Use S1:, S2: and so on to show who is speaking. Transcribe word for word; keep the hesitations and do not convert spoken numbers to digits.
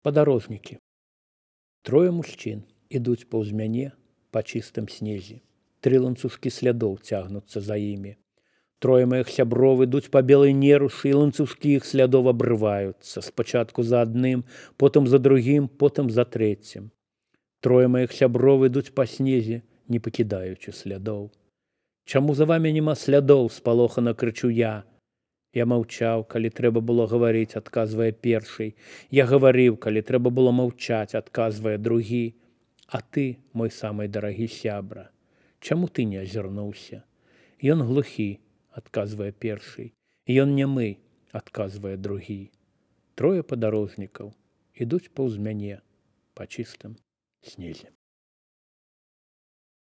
S1: Падарожнікі. Трое мужчын ідуць паўз мяне па чыстым снезе. Тры ланцужкі слядоў цягнуцца за імі. Трое маіх сяброў ідуць па белай нерушы, і ланцужкі іх слядоў абрываюцца. Спачатку за адным, потым за другім, потым за трэцім. Трое маіх сяброў ідуць па снезе, не пакідаючы слядоў. Чаму за вамі няма слядоў, спалохана крычу я. Я маўчаў, калі трэба было гаварыць, адказвае першы. Я гаварыў, калі трэба было маўчаць, адказвае другі. А ты, мой самы дарагі сябра, чаму ты не азірнуўся? Ён глухі, адказвае першы. Ён нямы, адказвае другі. Трое падарожнікаў ідуць паўз мяне па чыстым снезе.